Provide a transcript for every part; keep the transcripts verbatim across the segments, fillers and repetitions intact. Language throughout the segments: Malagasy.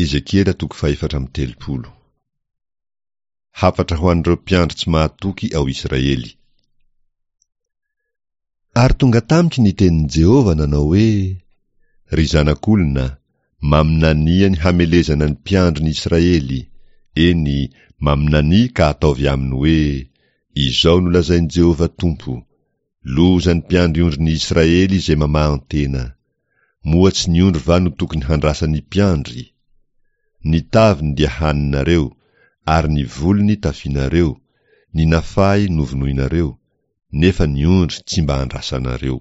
Ezekiela toko fahefatra amby telopolo. Hafatra ho an'ireo mpiandry tsy mahatoky ao Israely. Ary tonga tamiko ny tenin'i Jehovah nanao hoe, Ry zanak'olona, maminania ny hamelezana ny mpiandry ny Israely, eny, maminania ka ataovy aminy hoe, Izao no lazain'i Jehovah Tompo, Loza ny mpiandry ondrin'ny Israely izay mamahan-tena! Moa tsy ny ondry va no tokony handrasan'ny mpiandry? Ny taviny dia haninareo, ary ny volony tafianareo, ny nafahy novonoinareo, nefa ny ondry tsy mba andrasanareo.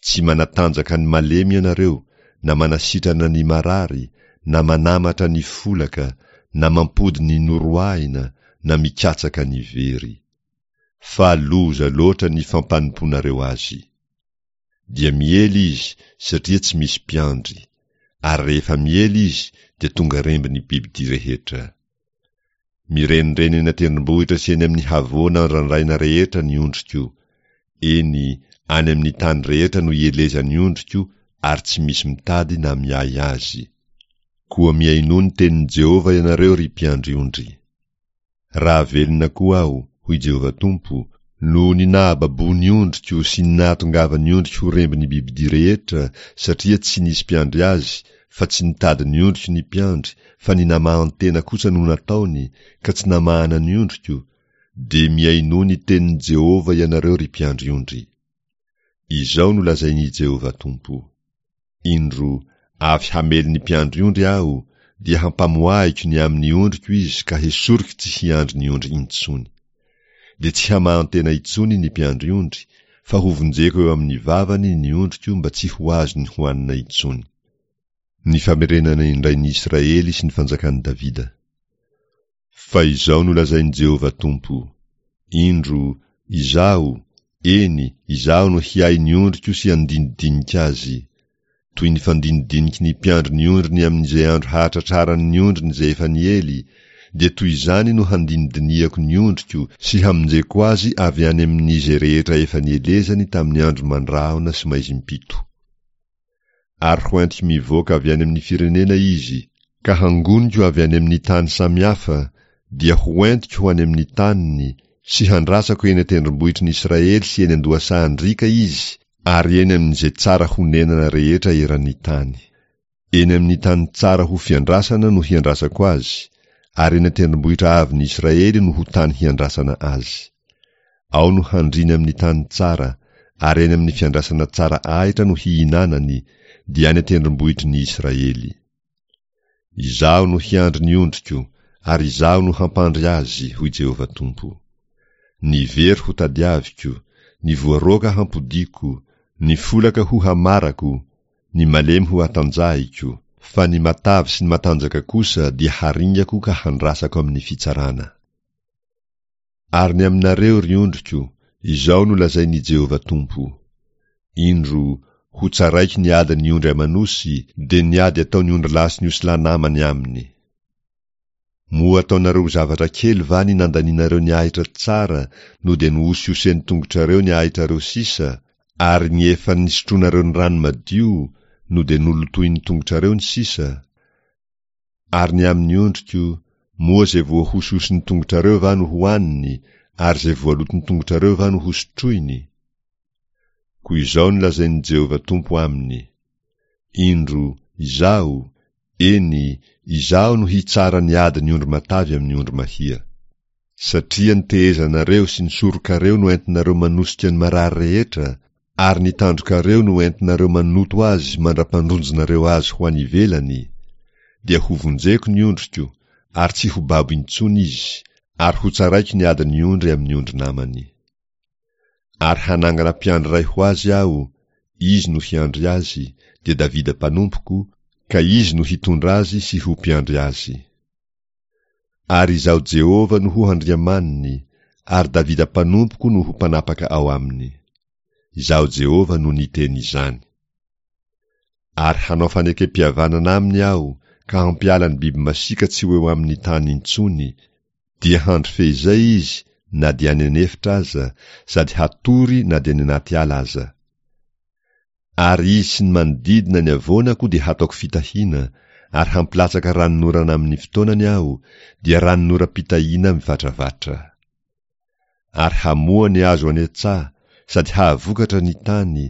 Tsy manatanjaka ny malemy ianareo, na manasitrana ny marary, na manamatra ny folaka, na mampody ny noroahina, na mikatsaka ny very. Fa loza loatra ny fampanompoanareo azy. Dia miely izy satria tsy misy mpiandry, ary rehefa miely izy dia tonga remby ny bibidia rehetra. Mirenireny eny an-tendrombohitra sy eny amin'ny havoana andrandraina rehetra ny ondriko, eny, any amin'ny tany rehetra no ielezan'ny ondriko ary tsy misy mitady na miahy azy. Koa mihainoa ny tenin'i Jehovah ianareo ry mpiandry ondry. Raha velona koa aho, hoy Jehovah Tompo, noho ny nahababoa ny ondriko sy ny nahatongavan'ny ondriko ho rembin'ny bibidia rehetra, satria tsy nisy mpiandry azy, fa tsy nitady ny ondriko ny mpiandry, fa ny namahan-tena kosa no nataony, ka tsy namahana ny ondriko, dia mihainoa ny tenin'i Jehovah ianareo ry mpiandry ondry. Izao no lazain'i Jehovah Tompo, Indro, avy hamely ny mpiandry ondry aho, dia hampamoahiko ny amin'ny ondriko izy ka hesoriko tsy hiandry ny ondry intsony. Dia tsy hamahan-tena intsony ny mpiandry ondry, fa hovonjeko eo amin'ny vavany ny ondriko mba tsy ho azony hohanina intsony. Ny famerenana indray ny Israely sy ny fanjakan'i Davida. Fa izao no lazain'i Jehovah Tompo, Indro, Izaho, eny, Izaho no hiahy ny ondriko sy handinidinika azy. Toy ny fandinidiniky ny mpiandry ny ondriny amin'izay andro hahatratrarany ny ondriny izay efa niely, dia toy izany no handinidinihako ny ondriko sy hamonjeko azy avy any amin'izay rehetra efa nielezany tamin'ny andro mandrahona sy maizim-pito. Ary ho entiko mivoaka avy any amin'ny firenena izy, ka hangoniko avy any amin'ny tany samihafa, dia ho entiko ho any amin'ny taniny, sy handrasako eny an-tendrombohitry ny Israely sy eny an-dohasahan-driaka izy, ary eny amin'izay tsara honenana rehetra eran'ny tany. Eny amin'ny tany tsara ho fiandrasana no hiandrasako azy, ary eny an-tendrombohitra avon'ny Israely no ho tany hiandrasana azy. Ao no handriany amin'ny tany tsara, ary eny amin'ny fiandrasana tsara ahitra no hihinanany, dia any an-tendrombohitry ny Israely. Izaho no hiandry ny ondriko, ary Izaho no hampandry azy, hoy Jehovah Tompo. Ny very hotadiaviko, ny voaroaka hampodiako, ny folaka ho hamarako, ny malemy ho hatanjahiko, fa ny matavy sy ny matanjaka kosa dia haringako ka handrasako amin'ny fitsarana. Ary ny aminareo, ry ondriko, izao no lazain'i Jehovah Tompo, Indro, hotsaraiko ny adin'ny ondry aman'osy, dia ny ady ataon'ny ondrilahy sy ny osilahy namany aminy. Moa ataonareo ho zavatra kely va ny nandanianareo ny ahitra tsara no dia nohosiosen'ny tongotrareo ny ahitrareo sisa, ary ny efa nisotroanareo ny rano madio no dia nolotoin'ny tongotrareo ny sisa? Ary ny amin'ny ondriko, moa izay voahosihosin'ny tongotrareo va no hohaniny, ary izay voaloton'ny tongotrareo va no hosotroiny? Koa izao no lazain'i Jehovah Tompo aminy, Indro, Izaho, eny, Izaho no hitsara ny adin'ny ondry matavy amin'ny ondry mahia. Satria ny tehezanareo sy ny sorokareo no entinareo manosika ny marary rehetra, ary ny tandrokareo no entinareo manoto azy mandra-pandronjonareo azy ho any ivelany, dia hovonjeko ny ondriko, ary tsy ho babo intsony izy, ary hotsaraiko ny adin'ny ondry amin'ny ondry namany. Ary hanangana mpiandry iray ho azy aho, izy no hiandry azy, dia Davida mpanompoko, ka izy no hitondra azy sy ho mpiandry azy. Ary Izaho Jehovah no ho Andriamaniny, ary Davida mpanompoko no ho mpanapaka ao aminy. Izaho Jehovah no niteny izany. Ary hanao fanekem-pihavanana aminy Aho, ka hampiala ny biby masiaka tsy ho eo amin'ny tany intsony, dia handry feizay izy na dia any an'efitra aza, sady hatory na dia any anaty ala aza. Ary izy sy ny manodidina ny havoanako dia hataoko fitahiana, ary hampilatsaka ranonorana amin'ny fotoanany Aho, dia ranonoram-pitahiana mivatravatra. Ary hamoa ny hazo any an-tsaha, sady hahavokatra ny tany,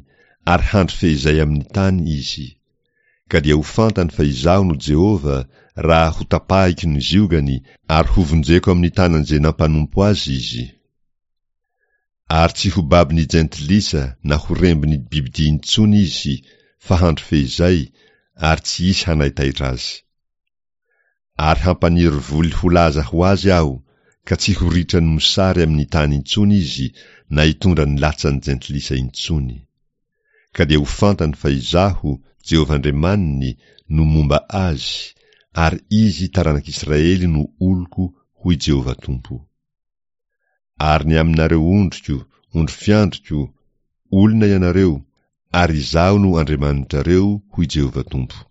ary handry feizay amin'ny tany izy. Ka dia ho fantany fa Izaho no Jehovah, raha hotapahiko ny ziogany, ary hovonjeko amin'ny tanan'izay nampanompo azy izy. Ary tsy ho babon'ny jentilisa na ho rembin'ny bibidia intsony izy, fa handry feizay, ary tsy hisy hanaitaitra azy. Ary hampaniry voly ho laza ho azy Aho, ka tsy ho ritran'ny mosary amin'ny tany intsony izy, na hitondra ny latsan'ny jentilisa intsony. Ka dia ho fantany fa Izaho, Jehovah Andriamaniny, no momba azy, ary izy taranak'Israely no oloko, hoy Jehovah Tompo. Ary ny aminareo ondriko, ondry fiandriko, olona ianareo, ary Izaho no Andriamanitrareo, hoy Jehovah Tompo.